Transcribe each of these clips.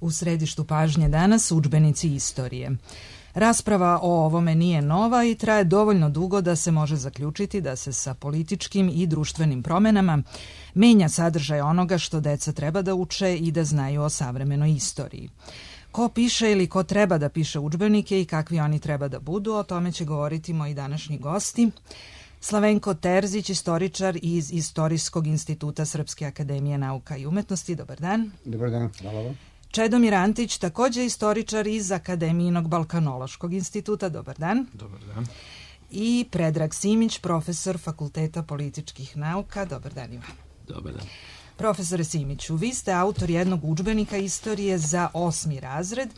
U središtu pažnje danas udžbenici istorije. Rasprava o ovome nije nova i traje dovoljno dugo da se može zaključiti da se sa političkim i društvenim promenama menja sadržaj onoga što deca treba da uče i da znaju o savremenoj istoriji. Ko piše ili ko treba da piše udžbenike i kakvi oni treba da budu, o tome će govoriti moji današnji gosti. Slavenko Terzić, istoričar iz Istorijskog instituta Srpske akademije nauka i umetnosti. Dobar dan. Dobar dan, hvala vam. Čedomir Antić, također istoričar iz Akademijinog Balkanološkog instituta. Dobar dan. Dobar dan. I Predrag Simić, profesor Fakulteta političkih nauka. Dobar dan, Ivan. Dobar dan. Profesore Simiću, vi ste autor jednog udžbenika istorije za 8. razred,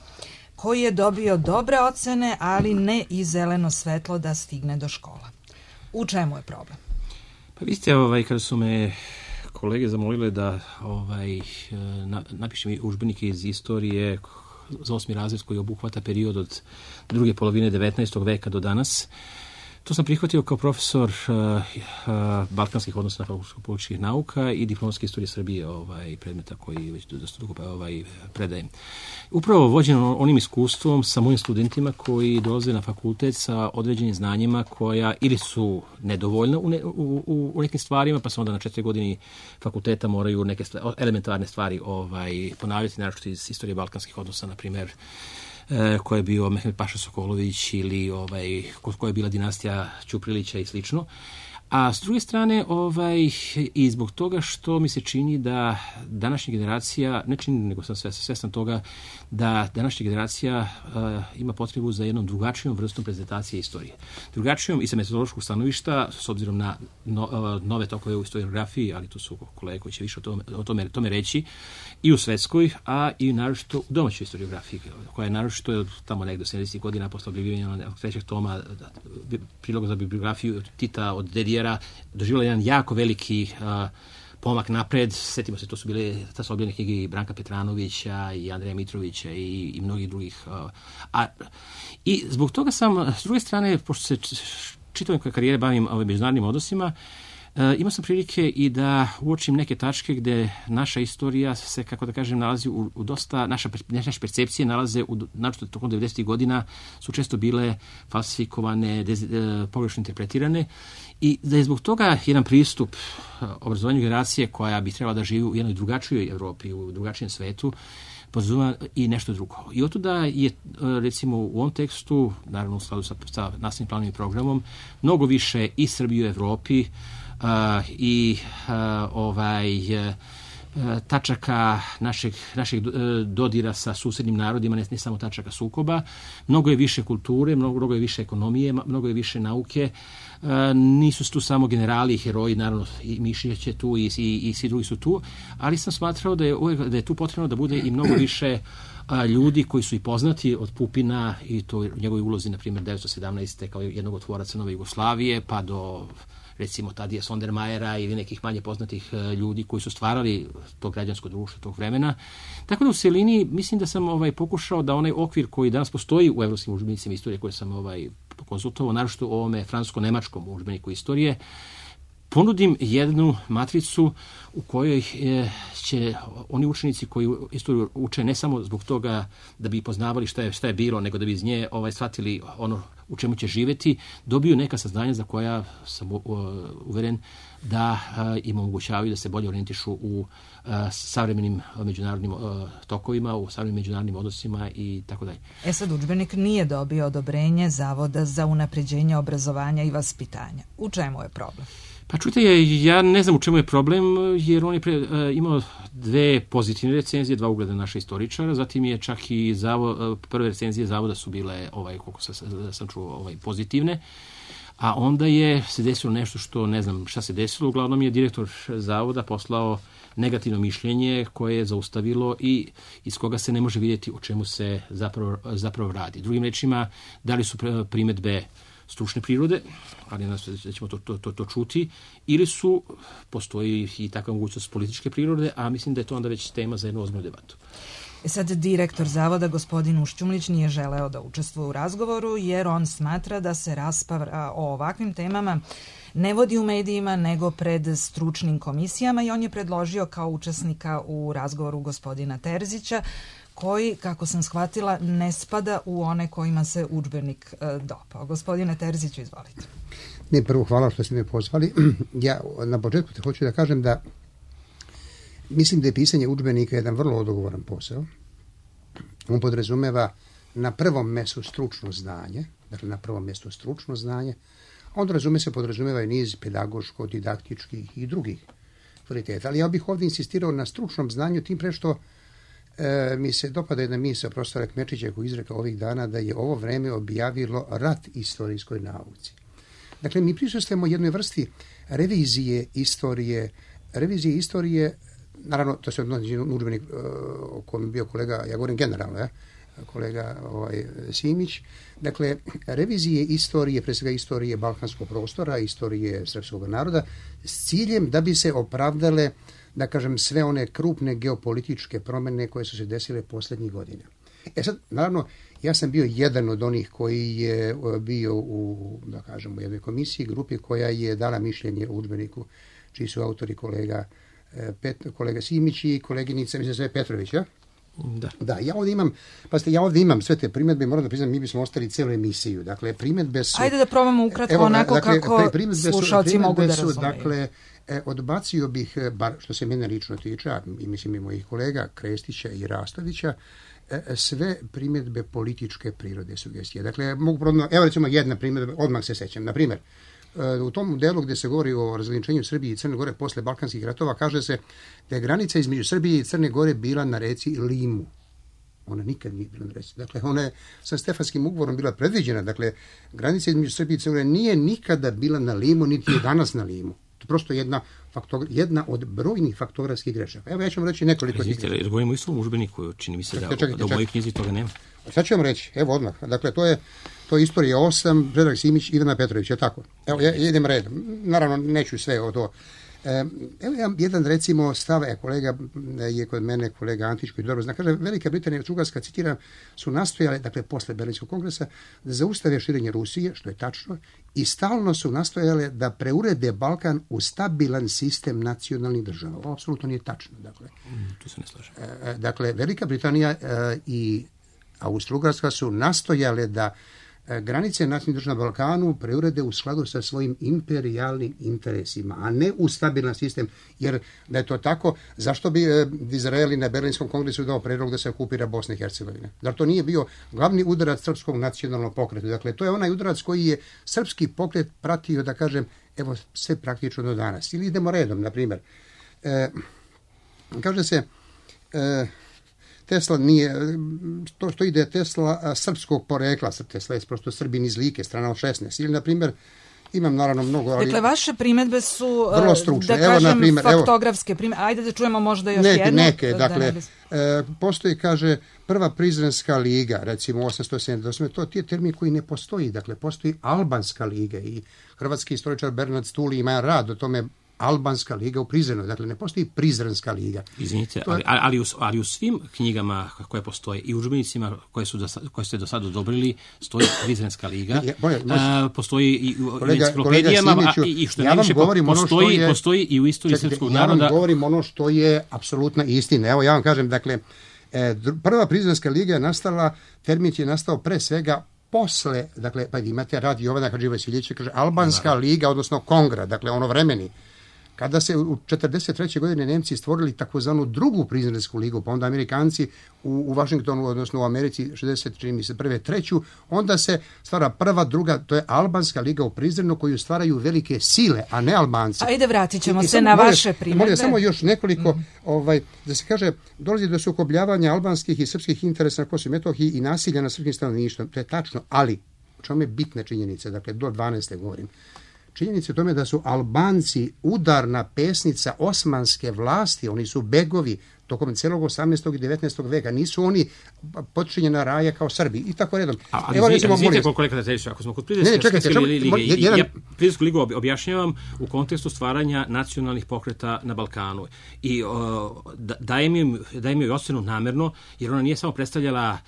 koji je dobio dobre ocene, ali ne i zeleno svetlo da stigne do škola. U čemu je problem? Pa vi ste, kada su me kolege zamolile da napišem udžbenike iz istorije za 8. razred koji obuhvata period od druge polovine 19. veka do danas. To sam prihvatio kao profesor balkanskih odnosa na Fakultetu političkih nauka i diplomske istorije Srbije, predmeta koji već dosta dugo predajem. Upravo vođen onim iskustvom sa mojim studentima koji dolaze na fakultet sa određenim znanjima koja ili su nedovoljna u nekim stvarima, pa se onda na 4 godine fakulteta moraju neke elementarne stvari ponavljati, naročito iz istorije balkanskih odnosa, na primjer, ko je bio Mehmed Paša Sokolović ili koja je bila dinastija Ćuprilića i slično. A s druge strane, i zbog toga što mi se čini da današnja generacija, ne čini, nego sam svestan toga, da današnja generacija ima potrebu za jednom drugačijom vrstom prezentacije istorije. Drugačijom i sa metodološkog stanovišta, s obzirom na nove tokove u historiografiji, ali tu su kolege koji će više o tome reći, i u svetskoj, a i naročito u domaćoj historiografiji, koja je naročito tamo negde 70. godina posle objavljivanja 3. toma priloga za bibliografiju Tita od Dedijera doživjela jedan jako veliki pomak napred. Sjetimo se, to su objavljene knjige i Branka Petranovića i Andreja Mitrovića i mnogih drugih. I zbog toga sam, s druge strane, pošto se čitavom karijere bavim međunarodnim odnosima, imao sam prilike i da uočim neke tačke gde naša istorija se, kako da kažem, nalazi u dosta, naše percepcije nalaze, naročito tokom 90. godina, su često bile falsifikovane, pogrešno interpretirane, i da je zbog toga jedan pristup obrazovanju generacije koja bi trebala da živi u jednoj drugačijoj Evropi, u drugačijem svetu, podrazumeva i nešto drugo. I otuda je, recimo, u ovom tekstu, naravno u skladu sa nastavnim planom i programom, mnogo više i Srbije u Evropi i tačaka našeg dodira sa susednim narodima, ne samo tačaka sukoba. Mnogo je više kulture, mnogo je više ekonomije, mnogo je više nauke. Nisu tu samo generali i heroji, naravno i Mišić je tu i svi drugi su tu, ali sam smatrao da je tu potrebno da bude i mnogo više ljudi koji su i poznati od Pupina i to u njegovoj ulozi, na primjer, 1917. kao jednog od tvoraca Nove Jugoslavije, pa do, recimo, Tadija Sondermajera ili nekih manje poznatih ljudi koji su stvarali to građansko društvo tog vremena. Tako da u celini mislim da sam pokušao da onaj okvir koji danas postoji u evropskim udžbenicima istorije koje sam konsultovao, naročito u ovome francusko-nemačkom udžbeniku istorije, ponudim jednu matricu u kojoj će oni učenici koji istoriju uče ne samo zbog toga da bi poznavali šta je bilo, nego da bi iz nje shvatili ono u čemu će živjeti, dobiju neka saznanja za koja sam uveren da im omogućavaju da se bolje orijentišu u savremenim međunarodnim tokovima, u savremenim međunarodnim odnosima i tako dalje. Sad udžbenik nije dobio odobrenje Zavoda za unapređenje obrazovanja i vaspitanja. U čemu je problem? Pa čujte, ja ne znam u čemu je problem, jer on je imao 2 pozitivne recenzije, 2 ugleda naša istoričara, zatim je čak i prve recenzije Zavoda su bile, koliko sam čuo, pozitivne, a onda se desilo nešto što ne znam šta se desilo, uglavnom je direktor Zavoda poslao negativno mišljenje koje je zaustavilo i iz koga se ne može vidjeti o čemu se zapravo radi. Drugim rečima, da li su primedbe stručne prirode, ali da ćemo to čuti, ili postoji i takva mogućnost političke prirode, a mislim da je to onda već tema za jednu ozbiljnu debatu. Sad direktor Zavoda, gospodin Ušćumlić, nije želeo da učestvuje u razgovoru jer on smatra da se rasprava o ovakvim temama ne vodi u medijima nego pred stručnim komisijama i on je predložio kao učesnika u razgovoru gospodina Terzića, koji, kako sam shvatila, ne spada u one kojima se udžbenik dopao. Gospodine Terziću, izvolite. Ne, prvo hvala što ste me pozvali. Ja na početku te hoću da kažem da mislim da je pisanje udžbenika jedan vrlo odgovoran posao. On podrazumeva na prvom mjestu stručno znanje, dakle na prvom mjestu stručno znanje, a onda podrazumeva i niz pedagoško, didaktičkih i drugih kvaliteta. Ali ja bih ovdje insistirao na stručnom znanju, tim pre što mi se dopada jedna misao profesora Kmečića koji izrekao ovih dana da je ovo vreme objavilo rat istorijskoj nauci. Dakle, mi prisustvujemo jednoj vrsti revizije istorije, naravno, to se odnosi na udžbenik o kojem je bio kolega, ja govorim generalno, kolega Simić, dakle, revizije istorije, pre svega istorije balkanskog prostora, istorije srpskog naroda, s ciljem da bi se opravdale, da kažem, sve one krupne geopolitičke promjene koje su se desile posljednjih godina. Sad, naravno, ja sam bio jedan od onih koji je bio u, da kažem, u jednoj komisiji, grupi koja je dala mišljenje u udžbeniku, čiji su autori kolega Simić i koleginica, mislim se Petrović, ja? Da, ja ovdje imam sve te primjedbe, moram da priznam, mi bismo ostali cijelu emisiju. Dakle, primjedbe su... Ajde da probamo ukratko onako kako slušalci mogu da razumeju. Dakle, odbacio bih, bar što se mene lično tiče, i mislim i mojih kolega Krestića i Rastovića, sve primjedbe političke prirode sugestije. Dakle, evo recimo jedna primjedba, odmah se sećam. Na primjer, u tom delu gdje se govori o razgraničenju Srbije i Crne Gore posle Balkanskih ratova, kaže se da je granica između Srbije i Crne Gore bila na reci Limu. Ona nikad nije bila na reci. Dakle, ona je sa Stefanskim ugovorom bila predviđena. Dakle, granica između Srbije i Crne Gore nije nikada bila na Limu, niti je danas na Limu. To je prosto jedna od brojnih faktografskih grešaka. Evo, ja ću vam reći nekoliko tih grešaka. Jer govorimo isto o udžbeniku, čini mi se da u mojoj knjizi toga nema. Sad ću vam reći, evo odmah. Dakle, to je Istorija 8, Predrag Simić, Ivana Petrović, je tako? Evo, ja idem redom. Naravno, neću sve o to. Evo jedan, recimo, stav, kolega je kod mene, kolega Antić, koji dobro zna, kaže, Velika Britanija i Bugarska, citiram, su nastojale, dakle, posle Berlinskog kongresa, da zaustave širenje Rusije, što je tačno, i stalno su nastojale da preurede Balkan u stabilan sistem nacionalnih država. Ovo apsolutno nije tačno, dakle. Tu se ne slažem. Dakle, Velika Britanija i Austro-Ugarska su nastojale da granice nacionalnih država na Balkanu preurede u skladu sa svojim imperijalnim interesima, a ne u stabilan sistem, jer da je to tako, zašto bi Izrael na Berlinskom kongresu dao predlog da se okupira Bosna i Hercegovina? Zar to nije bio glavni udarac srpskog nacionalnog pokreta? Dakle, to je onaj udarac koji je srpski pokret pratio, da kažem, evo, sve praktično do danas. Ili idemo redom, na primjer. Kaže se... Tesla nije, to što ide Tesla srpskog porekla, Tesla je prosto Srbin iz Like, strana od 16. Ili, na primjer, imam naravno mnogo, ali... Dakle, vaše primjedbe su, vrlo stručne. Da kažem, faktografske primjedbe. Ajde da čujemo možda još jednu. Neke, dakle, postoji, kaže, prva Prizrenska liga, recimo 878, to je termin koji ne postoji, dakle, postoji Albanska liga i hrvatski istoričar Bernard Stuli ima rad o tome, Albanska liga u Prizrenu, dakle ne postoji Prizrenska liga. Izvinite, ali u svim knjigama koje postoje i udžbenicima koje ste do sada odobrili stoji Prizrenska liga. Postoji i u enciklopedijama i što ja najviše postoji i u istoriji srpskog naroda. Ja vam govorim ono što je apsolutna istina. Evo ja vam kažem, dakle, prva Prizrenska liga je nastala, termin je nastao pre svega posle, dakle, pa imate rad Jovana Hadživasiljevića, kaže Albanska liga, odnosno Kongra, dakle ono vremeni. Kada se u 1943. godine Nemci stvorili takozvanu drugu Prizrensku ligu, pa onda Amerikanci u Washingtonu, odnosno u Americi 61. treću, onda se stvara prva, druga, to je Albanska liga u Prizrenu koju stvaraju velike sile, a ne Albanci. Ajde, vratit ćemo se na vaše primjedbe. Samo još nekoliko, da se kaže, dolazi do sukobljavanja albanskih i srpskih interesa na Kosovu i Metohiji i nasilja na srpskim stanovništvom. To je tačno, ali u čemu je bitna činjenica, dakle do 12. govorim. Činjenica je tome da su Albanci udarna pesnica osmanske vlasti, oni su begovi tokom celog 18. i 19. veka, nisu oni počinjena raja kao Srbi i tako redom. Ali izvinite kolega Terziću, ako smo kod Prizrenske lige, ja Prizrensku ligu objašnjavam u kontekstu stvaranja nacionalnih pokreta na Balkanu i dajem joj ocenu namerno, jer ona nije samo predstavljala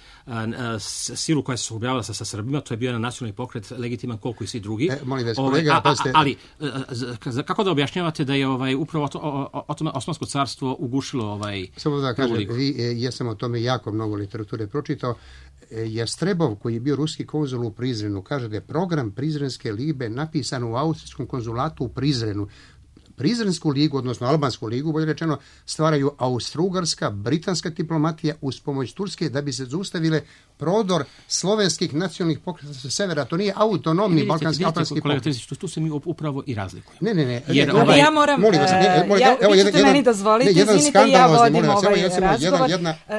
silu koja se sukobljava sa Srbima, to je bio nacionalni pokret legitiman koliko i svi drugi. Molim vas, kolega, ali kako da objašnjavate da je upravo Osmansko carstvo ugušilo Samo da kažem, ja sam o tome jako mnogo literature pročitao. Jastrebov, koji je bio ruski konzul u Prizrenu, kaže da je program Prizrenske libe napisan u austrijskom konzulatu u Prizrenu. Prizrensku ligu, odnosno Albansku ligu, bolje rečeno, stvaraju austrougarska, britanska diplomatija uz pomoć Turske da bi se zaustavile prodor slovenskih nacionalnih pokreta sa severa. To nije autonomni balkanski albanski pokret. Tu se mi upravo i razlikujemo. Ne. Ja moram, vi ćete meni dozvoliti, izvinite, ja vodim ovaj razgovor.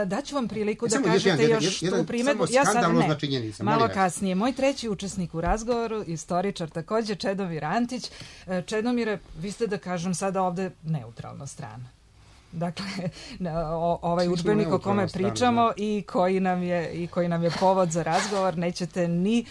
Daću vam priliku da kažete još tu primjedbu. Ja sad ne, malo kasnije. Moj treći učesnik u razgovoru, istoričar također, Čedomir Antić. Čedomire, vi ste, da kažem sada ovde, neutralna strana. Dakle, ovaj udžbenik o kome pričamo i koji nam je povod za razgovor nećete ni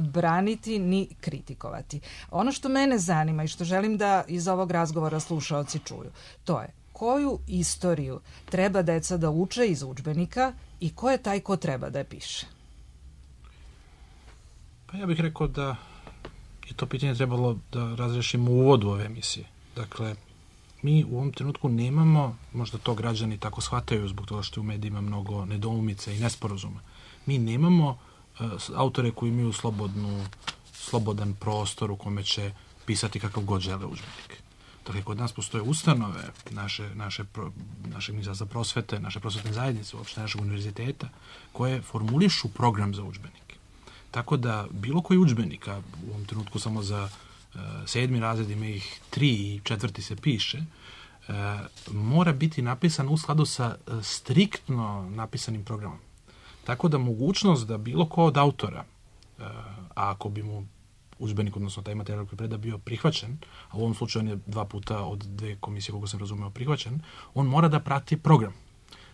braniti ni kritikovati. Ono što mene zanima i što želim da iz ovog razgovora slušaoci čuju, to je koju istoriju treba deca da uče iz udžbenika i ko je taj ko treba da je piše? Pa ja bih rekao da je to pitanje trebalo da razrešimo u uvodu ove emisije. Dakle, mi u ovom trenutku nemamo, možda to građani tako shvataju zbog toga što je u medijima mnogo nedoumica i nesporazuma, mi nemamo autore koji imaju slobodan prostor u kome će pisati kakav god žele udžbenik. Dakle, kod nas postoje ustanove, naše ministarstva prosvete, naše prosvetne zajednice, uopšte našeg univerziteta, koje formulišu program za udžbenike. Tako da bilo koji udžbenik, a u ovom trenutku samo za 7. razred ima ih 3 i 4. se piše, mora biti napisan u skladu sa striktno napisanim programom. Tako da mogućnost da bilo ko od autora, a ako bi mu udžbenik, odnosno taj materijal koji preda bio prihvaćen, a u ovom slučaju on je 2 puta od 2 komisije, koliko sam razumeo, prihvaćen, on mora da prati program.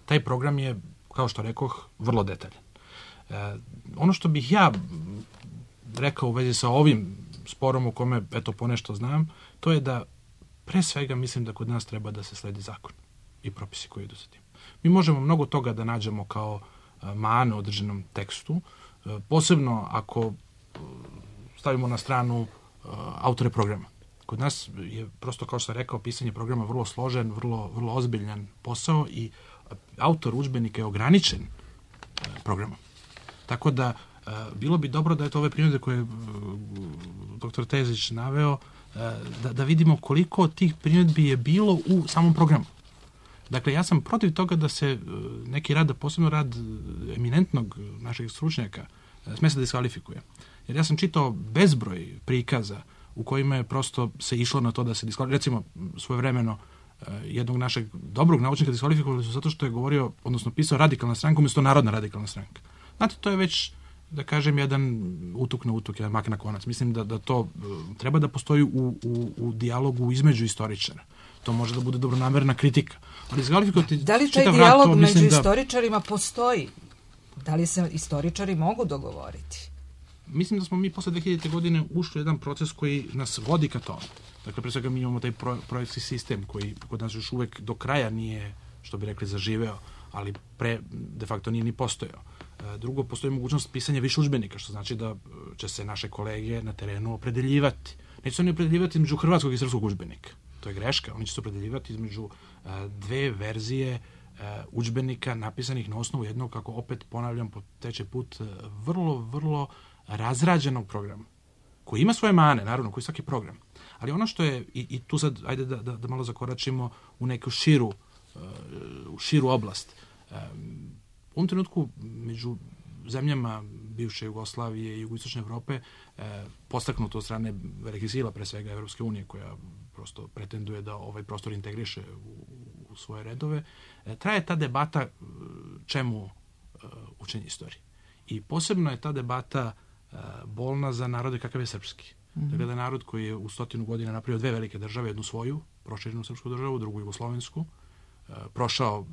Taj program je, kao što rekoh, vrlo detaljan. Ono što bih ja rekao u vezi sa ovim sporom u kome, eto, ponešto znam, to je da pre svega mislim da kod nas treba da se sledi zakon i propisi koji idu sa tim. Mi možemo mnogo toga da nađemo kao mane u određenom tekstu, posebno ako stavimo na stranu autore programa. Kod nas je prosto, kao što sam rekao, pisanje programa vrlo složen, vrlo ozbiljan posao i autor udžbenika je ograničen programom. Tako da bilo bi dobro da je to ove primjere koje je dr. Tezić naveo, da vidimo koliko tih primjedbi je bilo u samom programu. Dakle, ja sam protiv toga da se neki rad, posebno rad eminentnog našeg stručnjaka, sme se diskvalifikuje. Jer ja sam čitao bezbroj prikaza u kojima je prosto se išlo na to da se diskvalifikuje. Recimo, svojevremeno jednog našeg dobrog naučnika diskvalifikovali su zato što je govorio, odnosno pisao radikalna stranka umjesto narodna radikalna stranka. Znate, to je već, da kažem, jedan utuk na utuk, jedan mak na konac. Mislim da to treba da postoji u dijalogu između istoričara. To može da bude dobronamerna kritika. Ali da li taj dijalog među istoričarima postoji? Da li se istoričari mogu dogovoriti? Mislim da smo mi posle 2000. godine ušli u jedan proces koji nas vodi ka tome. Dakle, pre svega mi imamo taj projektski sistem koji kod nas još uvek do kraja nije, što bi rekli, zaživeo, ali de facto nije ni postojao. Drugo, postoji mogućnost pisanja više udžbenika, što znači da će se naše kolege na terenu opredeljivati. Neće se oni opredeljivati između hrvatskog i srpskog udžbenika. To je greška. Oni će se opredeljivati između 2 verzije udžbenika napisanih na osnovu jednog, kako opet ponavljam po treći put, vrlo razrađenog programa, koji ima svoje mane, naravno, koji svaki program. Ali ono što je, i tu sad, ajde da malo zakoračimo u neku širu oblast. U ovom trenutku među zemljama bivše Jugoslavije i jugoistočne Evrope, postaknuto od strane velikih sila, pre svega Evropske unije, koja prosto pretenduje da ovaj prostor integriše u svoje redove, traje ta debata čemu učenje istorije. I posebno je ta debata bolna za narode kakav je srpski. Dakle, da je narod koji je u 100 godina napravio 2 velike države, jednu svoju, proširenu srpsku državu, drugu jugoslovensku, prošao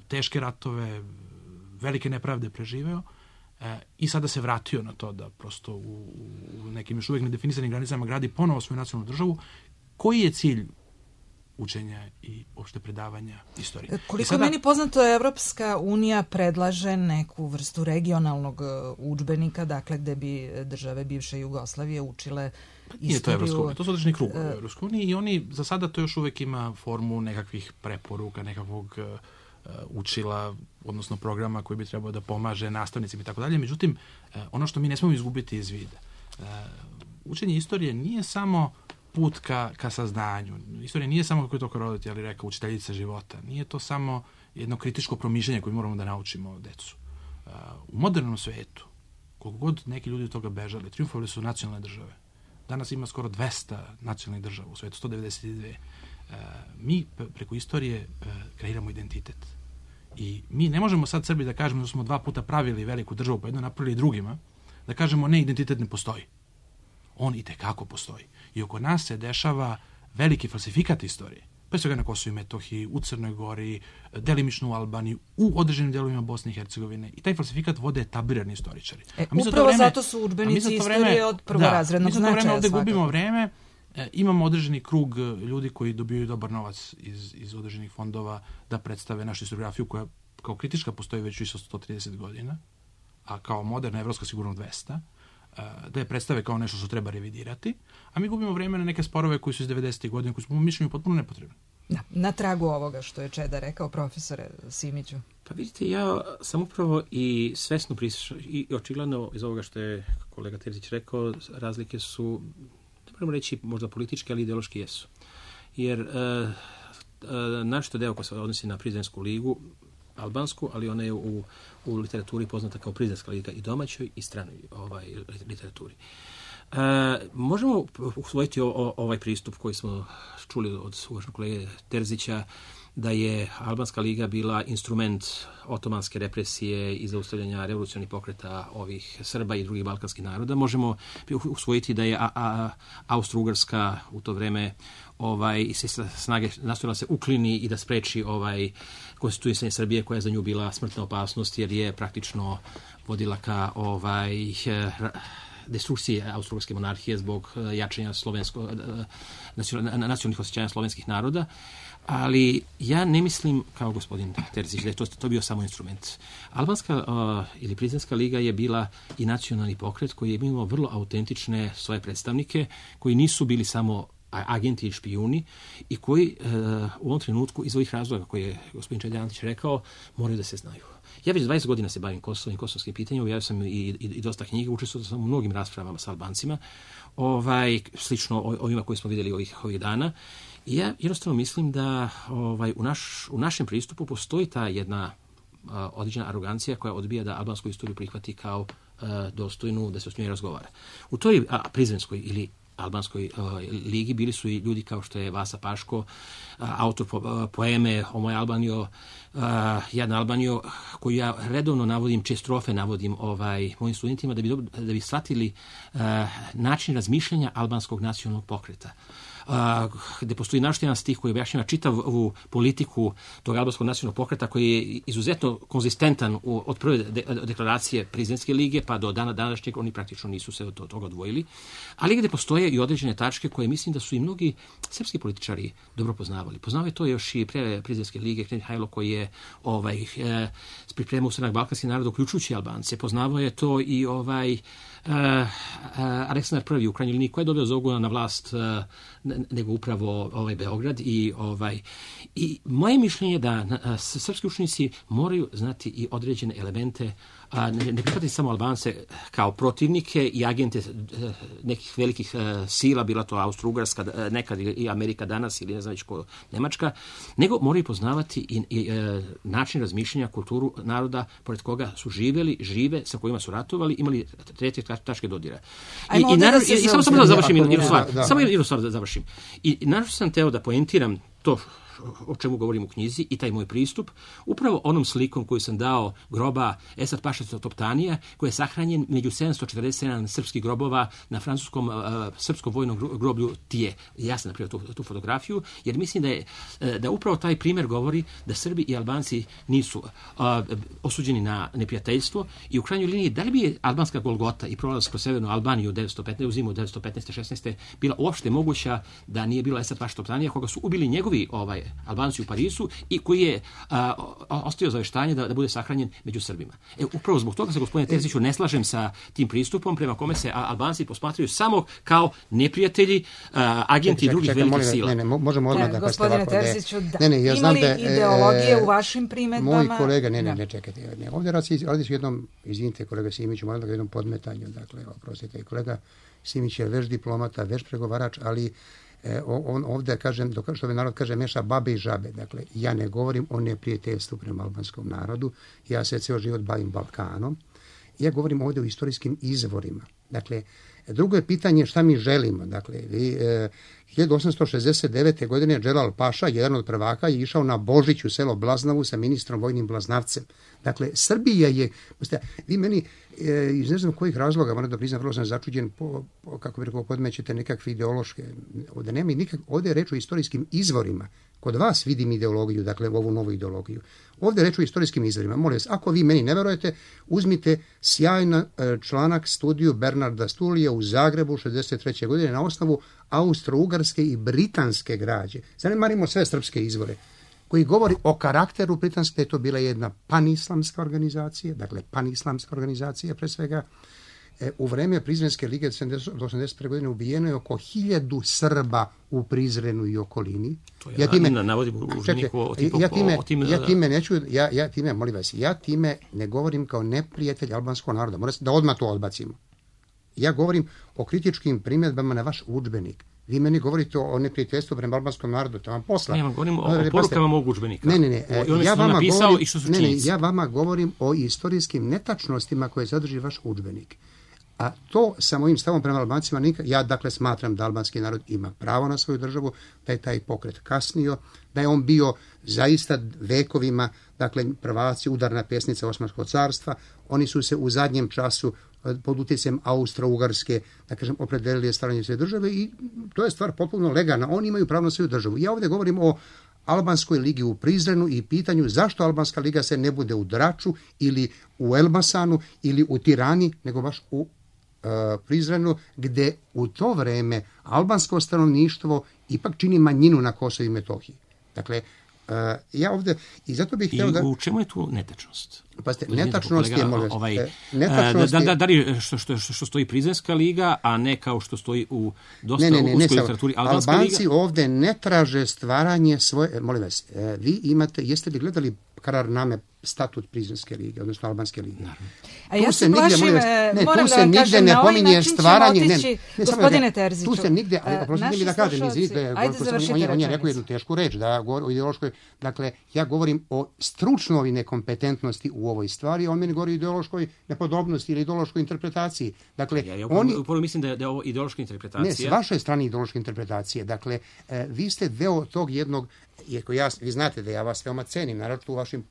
teške ratove, velike nepravde preživeo i sada se vratio na to da prosto u nekim još uvijek nedefinisanim granicama gradi ponovo svoju nacionalnu državu. Koji je cilj učenja i opšte predavanja istorije? Koliko meni poznato, Evropska unija predlaže neku vrstu regionalnog udžbenika, dakle gde bi države bivše Jugoslavije učile istoriju. Nije to Evropska unija, to su određeni krugovi u Evropskoj uniji i oni za sada to još uvijek ima formu nekakvih preporuka, nekakvog učila, odnosno programa koji bi trebao da pomaže nastavnicima i tako dalje. Međutim, ono što mi ne smemo izgubiti iz vida. Učenje istorije nije samo put ka saznanju. Istorija nije samo, kako je to Korodati, ali rekao, učiteljica života. Nije to samo jedno kritičko promišljanje koje moramo da naučimo decu. U modernom svetu, koliko god neki ljudi od toga bežali, triumfovali su nacionalne države. Danas ima skoro 200 nacionalnih država u svetu, 192. Mi preko istorije kreiramo identitet. I mi ne možemo sad Srbi da kažemo da smo 2 puta pravili veliku državu, pa jedno napravili drugima, da kažemo ne, identitet ne postoji. On i tekako postoji. I oko nas se dešava veliki falsifikat istorije. Pre svega na Kosovu i Metohiji, u Crnoj Gori, delimično u Albaniji, u određenim delovima Bosne i Hercegovine. I taj falsifikat vode etablirani istoričari. Upravo zato su udžbenici istorije od prvorazrednog značaja. Mi za to vreme ovde gubimo vreme. Imamo određeni krug ljudi koji dobijaju dobar novac iz određenih fondova da predstave našu historiografiju koja kao kritička postoji već više od 130 godina, a kao moderna evropska sigurno 200, da je predstave kao nešto što treba revidirati, a mi gubimo vreme na neke sporove koji su iz 90. godina, koji su po mom mišljenju potpuno nepotrebni. Na tragu ovoga što je Čeda rekao, profesore Simiću. Pa vidite, ja sam upravo i svesno i očigledno iz ovoga što je kolega Terzić rekao, razlike su, ne moramo reći možda političke, ali ideološki jesu. Jer našto deo koji se odnosi na Prizrensku ligu, albansku, ali ona je u literaturi poznata kao Prizrenska liga i domaćoj i stranoj literaturi. Možemo usvojiti ovaj pristup koji smo čuli od uvaženog kolege Terzića, da je Albanska liga bila instrument otomanske represije i zaustavljanja revolucionarnih pokreta ovih Srba i drugih balkanskih naroda. Možemo usvojiti da je Austro-Ugarska u to vreme i se snage nastojala se uklini i da spreči konstituisanje Srbije, koja je za nju bila smrtna opasnost, jer je praktično vodila ka destrukcije austro-ugarske monarhije zbog jačanja nacionalnih osjećanja slovenskih naroda. Ali ja ne mislim, kao gospodin Terzić, da je to bio samo instrument. Albanska ili Prizrenska liga je bila i nacionalni pokret koji je imao vrlo autentične svoje predstavnike, koji nisu bili samo agenti i špijuni i koji u ovom trenutku iz ovih razloga koje je gospodin Čeda Antić rekao, moraju da se znaju. Ja već 20 godina se bavim Kosovom i kosovskim pitanjima, ja sam i dosta knjiga, učestvovao sam u mnogim raspravama sa Albancima, slično ovima koje smo vidjeli ovih dana. I ja jednostavno mislim da u našem pristupu postoji ta jedna određena arogancija koja odbija da albansku istoriju prihvati kao dostojnu, da se s njoj razgovara. U toj Prizrenskoj ili Albanskoj ligi bili su i ljudi kao što je Vasa Paško, autor poeme O moj Albanio, Jadna Albanio, koju ja redovno navodim, čije strofe navodim mojim studentima da bi shvatili način razmišljanja albanskog nacionalnog pokreta. Gde postoji našto jedan stih koji objašnjava čitavu politiku tog albanskog nacionalnog pokreta, koji je izuzetno konzistentan od prve deklaracije Prizrenske lige pa do dana današnjeg. Oni praktično nisu se od toga odvojili, ali gde postoje i određene tačke koje mislim da su i mnogi srpski političari dobro poznavali. Poznavaju to još i pre Prizrenske lige Knez Mihajlo, koji je pripremao ustanak balkanskih naroda, uključujući Albance. Poznavao je to i Aleksandar I u krajnjoj liniji, koji je dobio zogu na vlast nego upravo Beograd. I moje mišljenje je da srpski učenici moraju znati i određene elemente, ne prihvatiti samo Albance kao protivnike i agente nekih velikih sila, bila to Austro-Ugarska nekad i Amerika danas ili ne znam već ko Nemačka, nego moraju poznavati i način razmišljanja, kulturu naroda pored koga su žive, sa kojima su ratovali, imali treće tačke dodira. I samo da završim jednu stvar da završim. I naravno sam teo da poentiram to o čemu govorim u knjizi i taj moj pristup, upravo onom slikom koju sam dao groba Esad Paša Toptanija, koji je sahranjen među 747 srpskih grobova na francuskom srpskom vojnom groblju Tije. Ja sam napravio tu fotografiju, jer mislim da upravo taj primjer govori da Srbi i Albanci nisu osuđeni na neprijateljstvo i u krajnjoj liniji da li bi albanska Golgota i prolaz kroz severnu Albaniju u zimu 1915. 16. bila uopšte moguća da nije bilo Esad Paša Toptanija, koga su ubili njegovi Albanci u Parisu i koji je ostavio zaveštanje da bude sahranjen među Srbima. Upravo zbog toga se, gospodine Terziću, ne slažem sa tim pristupom prema kome se Albanci posmatraju samo kao neprijatelji, agenti drugih velikih sila. Ne, možemo odmah da gospodine Terziću, ima li ideologije u vašim primedbama? Moj kolega, ne, čekajte. Ovdje radi se jednom, izvinite kolega Simiću, moram da ga jednom podmetanju, dakle, oprostite, kolega Simić je veš diplomata, veš pregovarač, ali on ovdje, kažem, što bi narod kaže, meša babe i žabe. Dakle, ja ne govorim o neprijateljstvu prema albanskom narodu, ja se ceo život bavim Balkanom, ja govorim ovdje o istorijskim izvorima. Dakle, drugo je pitanje šta mi želimo. Dakle, 1869. godine Dželal Paša, jedan od prvaka, je išao na Božić u selo Blaznavu sa ministrom vojnim Blaznavcem. Dakle, Srbija je, vi meni iz ne znam kojih razloga, moram da priznam, vrlo sam začuđen, kako bi rekao, podmećete nekakve ideološke, ovdje nema ovdje je reč o istorijskim izvorima. Kod vas vidim ideologiju, dakle ovu novu ideologiju. Ovdje je reč o istorijskim izvorima. Molim vas, ako vi meni ne verujete, uzmite sjajan članak studiju Bernarda Stulija u Zagrebu 63. godine na osnovu austro-ugarske i britanske građe. Zanemarimo sve srpske izvore, koji govori o karakteru britanske, da je to bila jedna panislamska organizacija, dakle panislamska organizacija pre svega. U vreme Prizrenske lige 1981. godine ubijeno je oko 1000 Srba u Prizrenu i okolini. Ja time ne govorim kao neprijatelj albanskog naroda. Moram da odmah to odbacimo. Ja govorim o kritičkim primjedbama na vaš udžbenik. Vi meni govorite o neprijateljstvu prema albanskom narodu, to vam posla. Ja vam govorim o porukama mog udžbenika. Ja vama govorim o istorijskim netačnostima koje sadrži vaš udžbenik. A to sa mojim stavom prema Albancima, ja dakle smatram da albanski narod ima pravo na svoju državu, da je taj pokret kasnio, da je on bio zaista vekovima, dakle prvaci, udarna pesnica Osmanskog carstva. Oni su se u zadnjem času pod utjecajem Austro-Ugarske, da kažem, opredelili stvaranje svoje države i to je stvar potpuno legalna. Oni imaju pravo na svoju državu. Ja ovdje govorim o Albanskoj ligi u Prizrenu i pitanju zašto Albanska liga se ne bude u Draču ili u Elbasanu ili u Tirani, nego baš u Prizrenu, gde u to vreme albansko stanovništvo ipak čini manjinu na Kosovu i Metohiji. Dakle, ja ovdje, i zato bih htio da... I u čemu je tu netačnost? Pazite, netačnost je, da li što stoji Prizrenska liga, a ne kao što stoji u dosta uskoj literaturi Albanska liga? Albanci ovdje ne traže stvaranje svoje... Molim vas, vi imate, jeste li gledali Kararname, statut Prizrenske lige, odnosno Albanske lige? A ja se plašim, moram da vam kažem, na ovaj način ćemo otići, gospodine Terziću. Tu se nigde, oprostite mi da kažem, on je rekao jednu tešku reč, da govori o ideološkoj, dakle, ja govorim o stručnoj nekompetentnosti u ovoj stvari, on meni govori o ideološkoj nepodobnosti ili ideološkoj interpretaciji. Dakle, ja upravo mislim da je ovo ideološka interpretacija. Ne, s vaše strane ideološke interpretacije. Dakle, vi ste deo tog jednog, iako vi znate da ja vas veoma cenim, naravno u vašim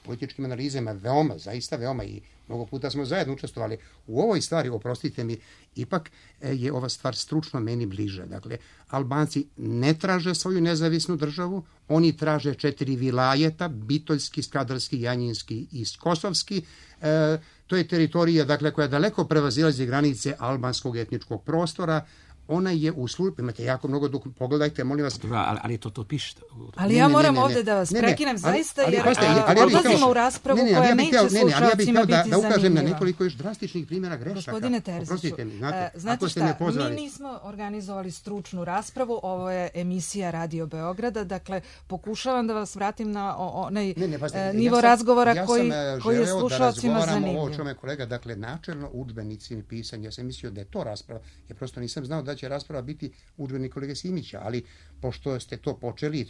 političkim analizama, veoma, zaista veoma, i mnogo puta smo zajedno učestvovali u ovoj stvari, oprostite mi, ipak je ova stvar stručno meni bliža. Dakle, Albanci ne traže svoju nezavisnu državu, oni traže 4 vilajeta, Bitoljski, Skadarski, Janjinski i Kosovski. To je teritorija, dakle, koja daleko prevazilazi granice albanskog etničkog prostora. Ona je u službi, imate jako mnogo pogledajte, molim vas. Ali to pišete. Ali ja moram ovdje da vas prekinem zaista, jer odlazimo u raspravu koja neće slušalcima biti zanimljiva. Da ukažem na nekoliko još drastičnih primjera grešaka. Gospodine Terziću, znate šta, mi nismo organizovali stručnu raspravu, ovo je emisija Radio Beograda, dakle pokušavam da vas vratim na onaj nivo razgovora koji je slušalcima zanimljiv. Ovo čome kolega, dakle načelno udžbenici pisanja, ja sam mislio da je to rasprava, ja prosto nisam znao da će rasprava biti udžbenik kolege Simića, ali pošto ste to počeli,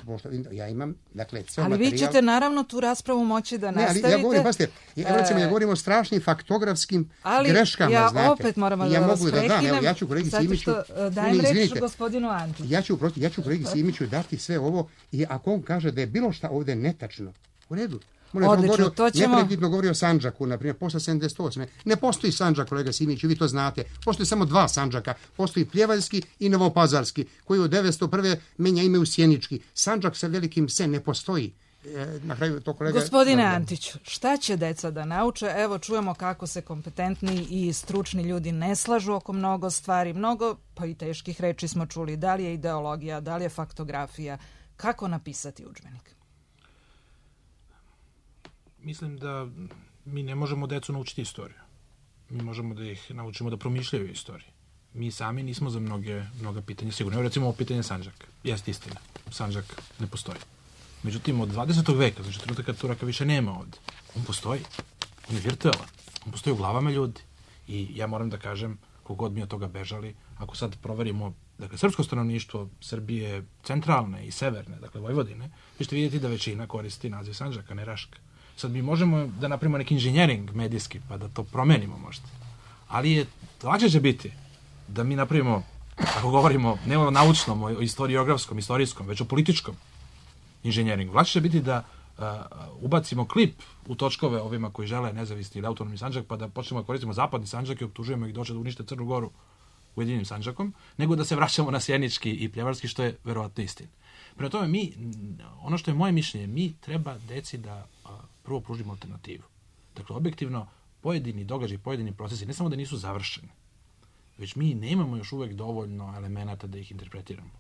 ja imam, dakle, ceo ali materijal... Ali vi ćete naravno tu raspravu moći da nastavite. Ali ja govorim o strašnim faktografskim greškama, ja znate. Opet moram da vas prekinem, ja ću kolegi Simiću... Dajem reč gospodinu Antiću. Ja ću kolegi Simiću dati sve ovo i ako on kaže da je bilo šta ovdje netačno, u redu. Odlično, to ćemo... Neprekidno govori o Sandžaku, na primjer, posle 78. Ne postoji Sandžak, kolega Simiću, vi to znate. Postoji samo 2 Sandžaka. Postoji Pljevaljski i Novopazarski, koji od 901. menja ime u Sjenički. Sandžak sa velikim se ne postoji. Na kraju to kolega... Gospodine Antiću, šta će deca da nauče? Evo, čujemo kako se kompetentni i stručni ljudi ne slažu oko mnogo stvari. Mnogo, pa i teških reči smo čuli. Da li je ideologija, da li je faktografija. Kako napisati udžbenik? Mislim da mi ne možemo decu naučiti istoriju. Mi možemo da ih naučimo da promišljaju istoriju. Mi sami nismo za mnoga pitanja sigurno. Evo recimo ovo pitanje Sandžaka. Jeste istina. Sandžak ne postoji. Međutim, od 20. veka, znači trenutka kad Turaka više nema ovde, on postoji. On je virtualan. On postoji u glavama ljudi. I ja moram da kažem, kogod mi od toga bežali, ako sad proverimo, dakle, srpsko stanovništvo Srbije centralne i severne, dakle, Vojvodine, vi ćete vidjeti da većina koristi naziv Sandžaka, ne Raška. Sad mi možemo da napravimo neki inženjering medijski, pa da to promenimo možda. Ali je lakše će biti da mi napravimo, ako govorimo ne o naučnom, o istoriografskom, istorijskom, već o političkom inženjeringu. Lakše će biti da ubacimo klip u točkove ovima koji žele nezavisni ili autonomni Sandžak, pa da počnemo da koristimo zapadni Sandžak i optužujemo ih da hoće da unište Crnu Goru Ujedinjenim Sandžakom, nego da se vraćamo na sjenički i pljevarski, što je verovatno istina. Prema tome, ono što je moje mišljenje, mi treba deci da prvo pružimo alternativu. Dakle, objektivno, pojedini događaji, pojedini procesi, ne samo da nisu završeni, već mi nemamo još uvek dovoljno elemenata da ih interpretiramo.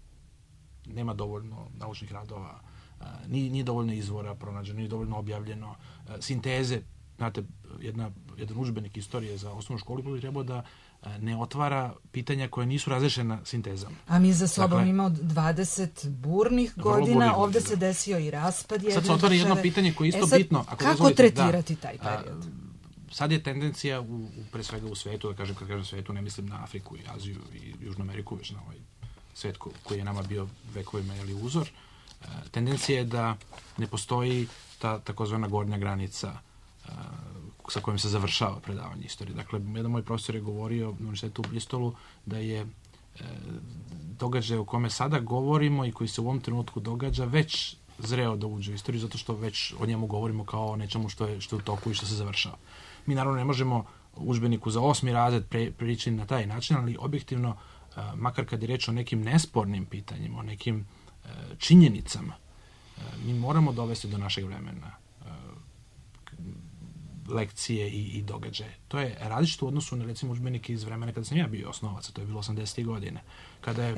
Nema dovoljno naučnih radova, nije dovoljno izvora pronađeno, nije dovoljno objavljeno, sinteze. Znate, jedan udžbenik istorije za osnovnu školu bi trebao da ne otvara pitanja koje nisu razrešena sintezama. A mi za sobom imamo 20 burnih godina, ovde se desio i raspad jedne države. Sad se otvara jedno pitanje koje je isto bitno. Kako tretirati taj period? Sad je tendencija, pre svega u svetu, da kažem, kad kažem svetu, ne mislim na Afriku i Aziju i Južnu Ameriku, već na ovaj svet koji je nama bio vekovima uzor. Tendencija je da ne postoji ta takozvana gornja granica sa kojim se završava predavanje istorije. Dakle, jedan moj profesor je govorio na univerzitetu u Bristolu da je događaj o kome sada govorimo i koji se u ovom trenutku događa već zreo da uđe u istoriju, zato što već o njemu govorimo kao o nečemu što je u toku i što se završava. Mi naravno ne možemo udžbeniku za 8. razred pričati na taj način, ali objektivno, makar kad je reč o nekim nespornim pitanjima, o nekim činjenicama, mi moramo dovesti do našeg vremena lekcije i događaje. To je različito u odnosu na, recimo, udžbenike iz vremena kada sam ja bio osnovac, to je bilo 80. godine.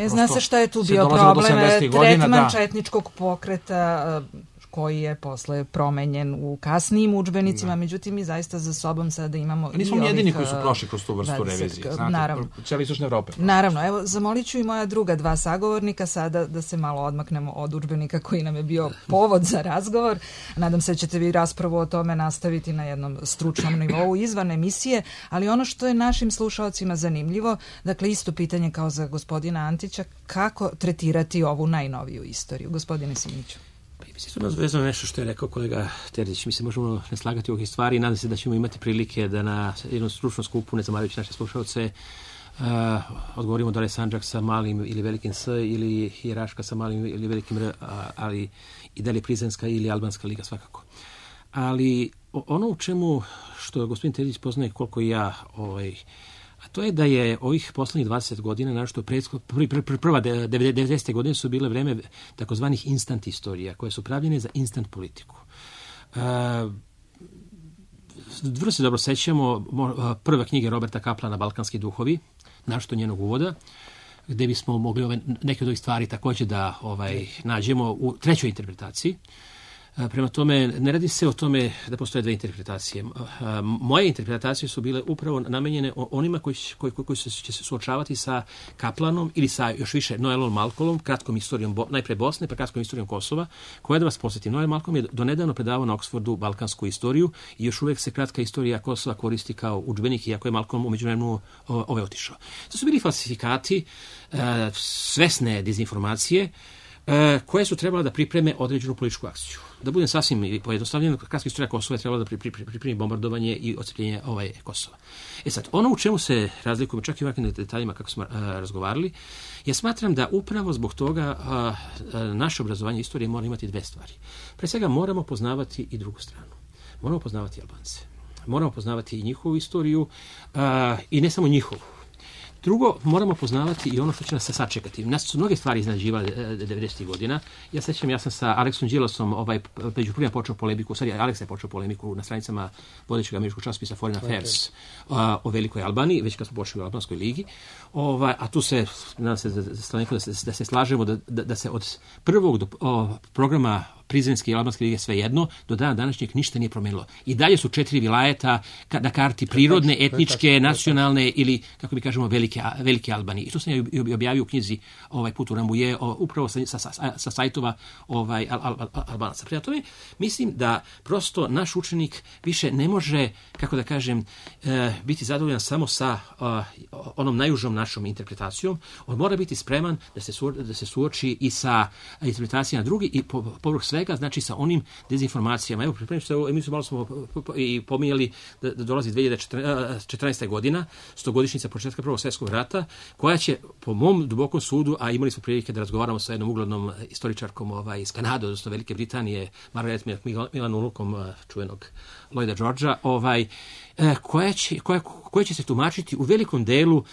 Zna se šta je tu bio problem, tretman četničkog pokreta koji je posle promenjen u kasnijim udžbenicima, međutim mi zaista za sobom sada imamo nismo mi jedini koji su prošli kroz tu vrstu revizije, znate, cijela istočna Evropa. Naravno, evo, zamolit ću i moja druga dva sagovornika sada da se malo odmaknemo od udžbenika koji nam je bio povod za razgovor. Nadam se da ćete vi raspravu o tome nastaviti na jednom stručnom nivou izvan emisije, ali ono što je našim slušaocima zanimljivo, dakle isto pitanje kao za gospodina Antića, kako tretirati ovu najnoviju istoriju? Gospodine Simiću. Mislim, to nas vezano nešto što je rekao kolega Terzić. Mi se možemo ne slagati u ovih stvari i nadam se da ćemo imati prilike da na jednom stručnom skupu, ne zamarajući naše slušalce, odgovorimo da li je Sandžak sa malim ili velikim S ili je Raška sa malim ili velikim R, ali i da li je Prizrenska ili Albanska liga svakako. Ali ono u čemu, što gospodin Terzić poznaje koliko i ja, a to je da je ovih poslednjih 20 godina, našto prva 90. godine su bile vreme takozvanih instant istorija, koje su pravljene za instant politiku. Vrlo se dobro sećamo prve knjige Roberta Kaplana Balkanski duhovi, našto njenog uvoda, gde bismo mogli neke od ovih stvari takođe da nađemo u trećoj interpretaciji. Prema tome, ne radi se o tome da postoje dve interpretacije. Moje interpretacije su bile upravo namenjene onima koji će se suočavati sa Kaplanom ili sa još više Noelom Malcolmom, kratkom istorijom najpre Bosne, pa kratkom istorijom Kosova, koja da vas posjetim. Noel Malcolm je donedavno predavao na Oksfordu balkansku istoriju i još uvek se kratka istorija Kosova koristi kao udžbenik, iako je Malcolm u međuvremenu otišao. To su bili falsifikati, svesne dezinformacije, koje su trebala da pripreme određenu političku akciju. Da budem sasvim pojednostavljen, kratka istorija Kosova je trebala da pripremi bombardovanje i odcepljenje Kosova. Sad, ono u čemu se razlikujemo, čak i ovakvim detaljima kako smo razgovarali, ja smatram da upravo zbog toga naše obrazovanje istorije mora imati dve stvari. Pre svega moramo poznavati i drugu stranu. Moramo poznavati Albance. Moramo poznavati i njihovu istoriju i ne samo njihovu. Drugo, moramo poznavati i ono što će nas se sačekati. Nas su mnoge stvari iznenađivale 90. godina. Ja sam sa Aleksom Đilasom među prvima počeo polemiku, Aleksa je počeo polemiku na stranicama vodećeg američkog časopisa Foreign Affairs o Velikoj Albaniji, već kad smo počeli u Albanskoj ligi. A tu se, nadam se da se slažemo da se od prvog programa prizrenske i albanske lige svejedno, do dana današnjeg ništa nije promenilo. I dalje su 4 vilajeta na karti prirodne, etničke, nacionalne ili, kako mi kažemo, velike Albanije. I to sam ja objavio u knjizi Put u Rambuje, upravo sa sajtova Albanaca. Prema tome, mislim da prosto naš učenik više ne može, kako da kažem, biti zadovoljan samo sa onom najužom našom interpretacijom. On mora biti spreman da se suoči i sa interpretacijama drugi i povrh svega, znači sa onim dezinformacijama. Evo, pripremim se, emisiju malo smo i pominjali da dolazi 2014. godina, 100-godišnjica početka Prvog svjetskog rata, koja će, po mom dubokom sudu, a imali smo prilike da razgovaramo sa jednom uglednom istoričarkom iz Kanade, odnosno Velike Britanije, Margaret Milan unukom čuvenog Lloyda Georgea, koja će se tumačiti u velikom delu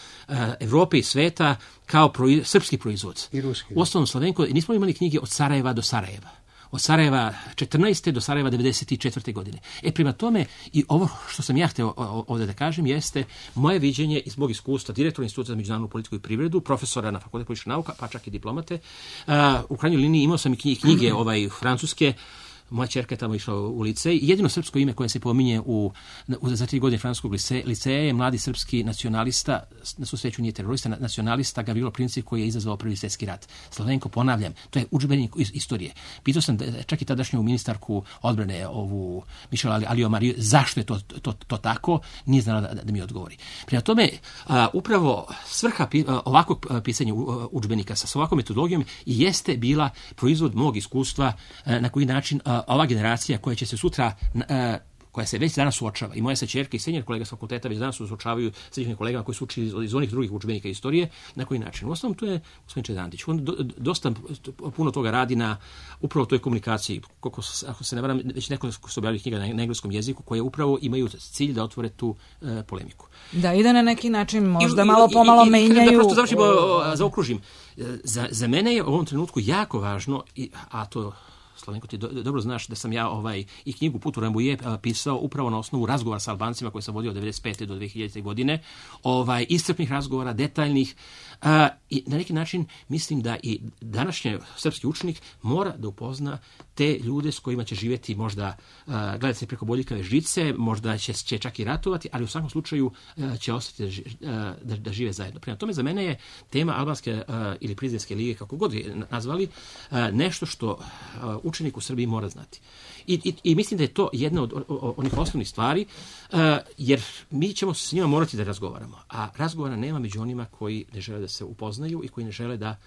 Evrope i sveta kao srpski proizvod. U ostalom, Slovenko, nismo imali knjige od Sarajeva do Sarajeva. Od Sarajeva 14. do Sarajeva 94. godine. Prema tome, i ovo što sam ja hteo ovdje da kažem, jeste moje viđenje iz mog iskustva direktora Instituta za međunarodnu politiku i privredu, profesora na Fakultetu političkih nauka, pa čak i diplomate. U krajnjoj liniji imao sam i knjige francuske. Moja ćerka je tamo išla u licej. Jedino srpsko ime koje se pominje za 3 godine francuskog liceja je mladi srpski nacionalista, na svu sreću nije terorista, nacionalista Gavrilo Princip, koji je izazvao Prvi svjetski rat. Slovenko, ponavljam, to je udžbenik istorije. Pitao sam čak i tadašnju ministarku odbrane, Michelle Alliot-Marie, zašto je to tako, nije znala da mi odgovori. Prema tome, upravo svrha ovakvog pisanja udžbenika sa ovakvom metodologijom jeste bila proizvod mog iskustva na koji način ova generacija koja će se sutra, koja se već danas suočava, i moja se ćerka i senior kolega s fakulteta već danas suočavaju s nekim kolegama koji su učili iz onih drugih udžbenika istorije, na koji način. U osnovom, tu je gospodin Čedandić. On dosta puno toga radi na upravo toj komunikaciji. Ako se ne varam, već nekoliko su objavili knjiga na engleskom jeziku koje upravo imaju cilj da otvore tu polemiku. Da, i da na neki način možda malo pomalo menjaju. Da prosto zaokružim. Za mene je u ovom trenutku jako važno, a to Slovenko, ti dobro znaš da sam ja i knjigu Put u Rambuje pisao upravo na osnovu razgovora sa Albancima koje sam vodio od 1995. do 2000. godine, iscrpnih razgovora, detaljnih, i na neki način mislim da i današnji srpski učenik mora da upozna te ljude s kojima će živjeti, možda gledati se preko boljikave žice, možda će čak i ratovati, ali u svakom slučaju će ostati da žive zajedno. Prema tome, za mene je tema albanske ili prizrenske lige, kako god je nazvali, nešto što učenik u Srbiji mora znati. I mislim da je to jedna od onih osnovnih stvari, jer mi ćemo s njima morati da razgovaramo. A razgovora nema među onima koji ne žele da se upoznaju i koji ne žele da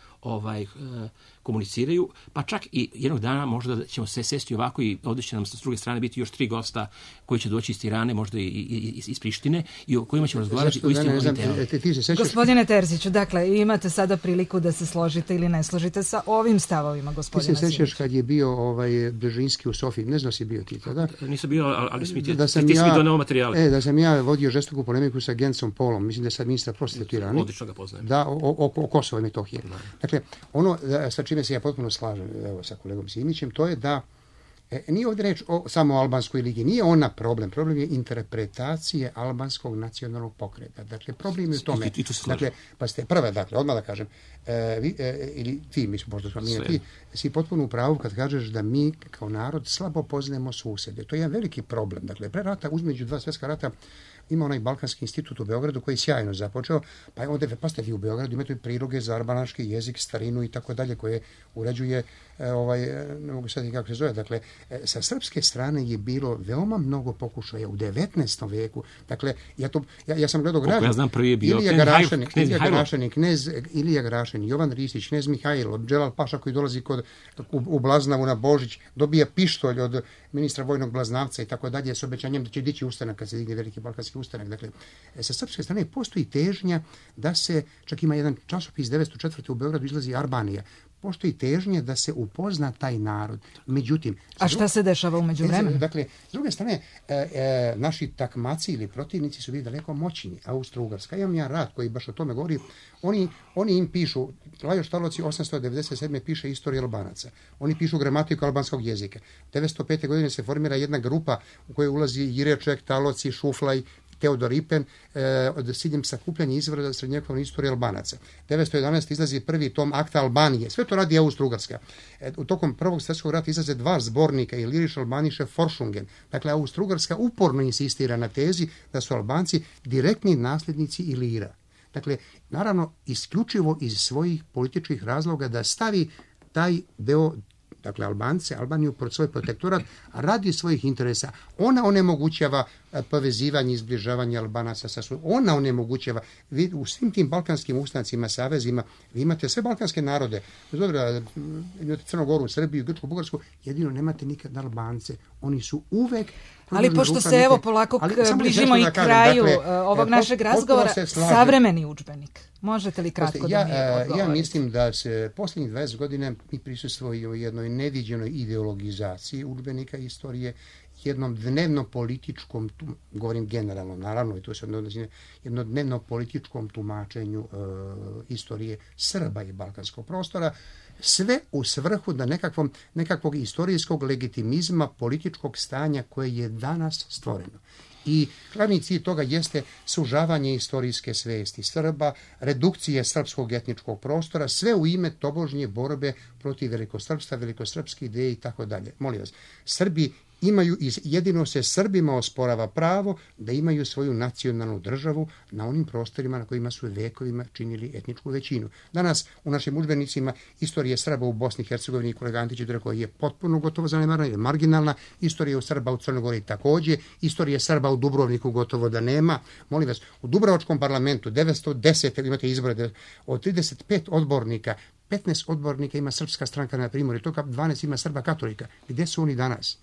komuniciraju, pa čak i jednog dana možda ćemo se sesti ovako i ovdje će nam s druge strane biti još 3 gosta koji će doći iz Tirane, možda i iz Prištine, i o kojima ćemo razgovarati u istim ovim temama. Gospodine Terziću, dakle, imate sada priliku da se složite ili ne složite sa ovim stavovima gospodina Simića. Ti se sjećaš kad je bio Brzezinski u Sofiji, ne znam si bio ti tada? Nisam bio, ali ti si mi doneo materijale. Da sam ja vodio žestoku polemiku sa Gencom Polom, mislim da je sad ministar prosvete u Tirani. Odlično ga poznajem. Da, o Kosovo i Metohije. Dakle, ono sa čime se ja potpuno slažem sa kolegom Simićem, to je da nije ovdje reč samo o albanskoj ligi, nije ona problem je interpretacije albanskog nacionalnog pokreta. Dakle, problem je u tome. Dakle, pa ste prve, odmah da kažem, ili ti, mislim, možda smo ti, si potpuno u pravu kad kažeš da mi kao narod slabo poznajemo susjede. To je jedan veliki problem. Dakle, pre rata, između 2 svjetska rata, ima onaj Balkanski institut u Beogradu koji je sjajno započeo, pa je ovdje, pa ste vi u Beogradu, imate priloge za albanaški jezik, starinu i tako dalje, koje uređuje, ne mogu sad i kako se zove, dakle, sa srpske strane je bilo veoma mnogo pokušaja u 19. veku. Dakle, ja sam gledao građan. Ja znam, prvi je bio Ilija Garašin, Jovan Ristić, knez Mihajlo, Dželal Paša koji dolazi u Blaznavu na Božić, dobija pištolj od ministra vojnog Blaznavca i tako dalje, s obećanjem da će dići ustanak kad se digne veliki balkanski ustanak. Dakle, sa srpske strane postoji težnja da se, čak ima jedan časopis 904. u Beogradu izlazi Arbanija, postoji težnje da se upozna taj narod. Međutim, a šta se dešava u međuvremenu? Dakle, s druge strane, naši takmaci ili protivnici su bili daleko moćni. Austro-Ugarska. Imam ja rad koji baš o tome govori. Oni im pišu, Lajos Taloci 897. piše Istoriju Albanaca. Oni pišu gramatiku albanskog jezika. 905. godine se formira jedna grupa u kojoj ulazi Jireček, Taloci, Šuflaj, Teodor Ipen, od ciljem sakupljanja izvora srednjovekovne istorije Albanaca. 911. izlazi prvi tom Akta Albanije. Sve to radi Austro-Ugarska. U tokom Prvog svjetskog rata izlaze 2 zbornika, Iliriš Albaniše Foršungen. Dakle, Austro-Ugarska uporno insistira na tezi da su Albanci direktni nasljednici Ilira. Dakle, naravno, isključivo iz svojih političkih razloga da stavi taj deo, dakle Albaniju pod svoj protektorat radi svojih interesa. Ona onemogućava povezivanje i izbližavanje Albanaca sa svojim. Ona onemogućava. Vi u svim tim balkanskim ustancima, savezima, vi imate sve balkanske narode. Dobro, imate Crnogoru, Srbiju, Grčku, Bugarsku, jedino nemate nikad Albance. Oni su uvek... Ali pošto se evo polako bližimo i kraju ovog našeg razgovora, savremeni udžbenik. Možete li kratko da mi odgovorite? Ja mislim da se posljednjih 20 godina mi prisustvujemo jednoj neviđenoj ideologizaciji udžbenika istorije, jednom dnevno političkom, govorim generalno, naravno, i to se odnosi jednom dnevno političkom tumačenju istorije Srba i balkanskog prostora, sve u svrhu da nekakvog istorijskog legitimizma političkog stanja koje je danas stvoreno. I glavni cilj toga jeste sužavanje istorijske svesti Srba, redukcije srpskog etničkog prostora, sve u ime tobožnje borbe protiv velikosrpstva, velikosrpske ideje i tako dalje. Molim vas, Srbi imaju, jedino se Srbima osporava pravo da imaju svoju nacionalnu državu na onim prostorima na kojima su vekovima činili etničku većinu. Danas u našim udžbenicima istorije Srba u Bosni i Hercegovini, kolega Antić rekao, je potpuno gotovo zanemarena, je marginalna, istorija Srba u Crnoj Gori također, istorije Srba u Dubrovniku gotovo da nema. Molim vas, u Dubrovačkom parlamentu 910, imate izbore, od 35 odbornika, 15 odbornika ima Srpska stranka na Primorju, toga 12 ima Srba katolika. Gdje su oni danas?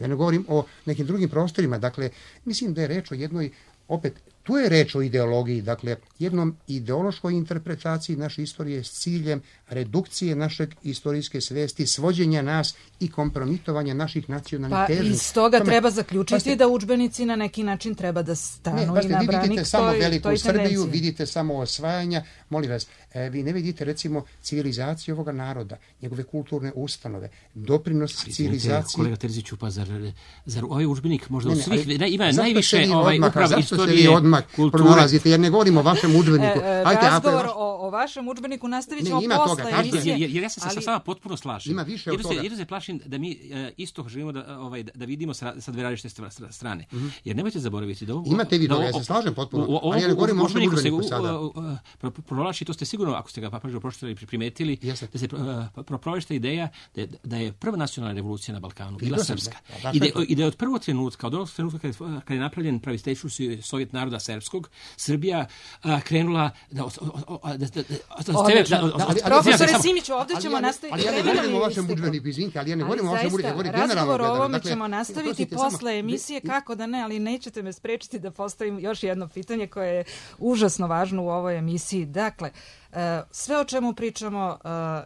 Ja ne govorim o nekim drugim prostorima, dakle, mislim da je reč o jednoj, opet, tu je reč o ideologiji, dakle, jednom ideološkoj interpretaciji naše istorije s ciljem redukcije našeg istorijske svesti, svođenja nas i kompromitovanja naših nacionalnih težnji. Pa iz toga treba zaključiti da udžbenici na neki način treba da stanu i na branik vi vidite samo veliku Srbiju, vidite samo osvajanja, molim vas, vi ne vidite recimo civilizaciju ovoga naroda, njegove kulturne ustanove, doprinos civilizaciji. Kolega Terziću, pa zar ovaj udžbenik možda u svih ima najviše upravo istorije pronalazite, jer ne govorimo o vašem udžbeniku. Razgovor o vašem udžbeniku nastavit ćemo posle emisije. Jer ja se sa vama potpuno slažem. Ima više od toga. Jedno se plašim da mi isto želimo da vidimo sa dve različite strane. Jer nemojte zaboraviti da ovo... Imate vi toga, ja se slažem potpuno, ali ja ne govorim o vašem udžbeniku sada. Provlači, to ste sigurno, ako ste ga pažljivo pročitali i primetili, da se provlačita ideja da je prva nacionalna revolucija na Balkanu bila srpska. I da je od prvog trenutka, od onog trenutka kada je napravljen pravistejšući Sovjet naroda srpskog, Srbija krenula Profesore Simiću, ovdje ćemo nastaviti. Ali ja ne govorim o vašem udžbeniku, izvinite, ali ja ne govorim o vašem udžbeniku. Razgovor o ovome ćemo nastaviti posle emisije, kako da ne, ali nećete me sprečiti da postavim još jedno pitanje koje je užasno važno u ovoj emisiji. Dakle, sve o čemu pričamo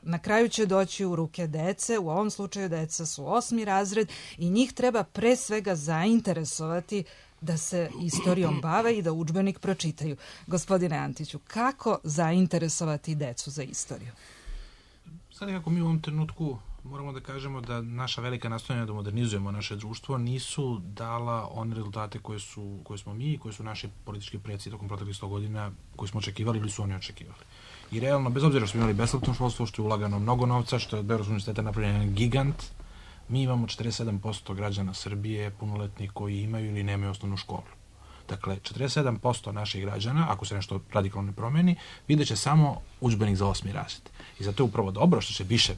na kraju će doći u ruke dece, u ovom slučaju deca su 8. razred i njih treba pre svega zainteresovati da se istorijom bave i da udžbenik pročitaju. Gospodine Antiću, kako zainteresovati decu za istoriju? Sad nekako mi u ovom trenutku moramo da kažemo da naša velika nastojanja da modernizujemo naše društvo nisu dala one rezultate koje smo mi i koje su naši politički preci tokom proteklih 100 godina koji smo očekivali ili su oni očekivali. I realno, bez obzira što smo imali besplatno školstvo, što je ulagano mnogo novca, što je od Beogradskog univerziteta napravljen gigant, mi imamo 47% građana Srbije punoletnih koji imaju ili nemaju osnovnu školu. Dakle, 47% naših građana, ako se nešto radikalno ne promeni, vidjet će samo udžbenik za 8. razred. I zato je upravo dobro što će više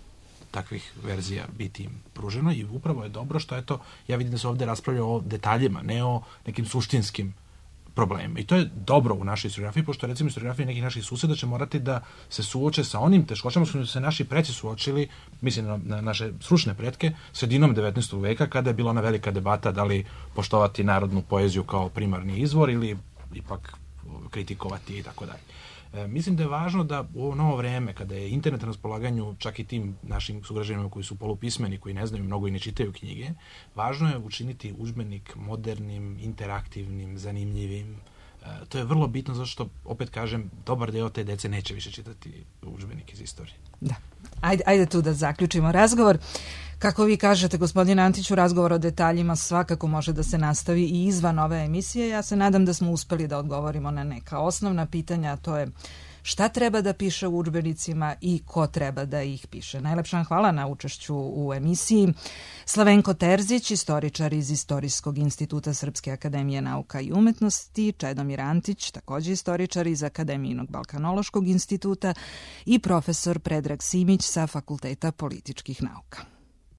takvih verzija biti im pruženo i upravo je dobro što, eto, ja vidim da se ovdje raspravlja o detaljima, ne o nekim suštinskim problema. I to je dobro u našoj historiografiji, pošto recimo historiografiji nekih naših suseda će morati da se suoče sa onim teškoćama s kojima su se naši preci suočili, mislim na naše stručne pretke, sredinom 19. veka, kada je bila ona velika debata da li poštovati narodnu poeziju kao primarni izvor ili ipak kritikovati i tako dalje. Mislim da je važno da u ovo novo vreme, kada je internet na raspolaganju čak i tim našim sugrađanima koji su polupismeni, koji ne znaju mnogo i ne čitaju knjige, važno je učiniti udžbenik modernim, interaktivnim, zanimljivim. To je vrlo bitno zato što, opet kažem, dobar deo te dece neće više čitati udžbenik iz istorije. Da. Ajde tu da zaključimo razgovor. Kako vi kažete, gospodine Antiću, razgovor o detaljima svakako može da se nastavi i izvan ove emisije. Ja se nadam da smo uspeli da odgovorimo na neka osnovna pitanja, a to je šta treba da piše u udžbenicima i ko treba da ih piše. Najlepša vam hvala na učešću u emisiji. Slavenko Terzić, istoričar iz Istorijskog instituta Srpske akademije nauka i umetnosti, Čedomir Antić, takođe istoričar iz Akademijinog Balkanološkog instituta i profesor Predrag Simić sa Fakulteta političkih nauka.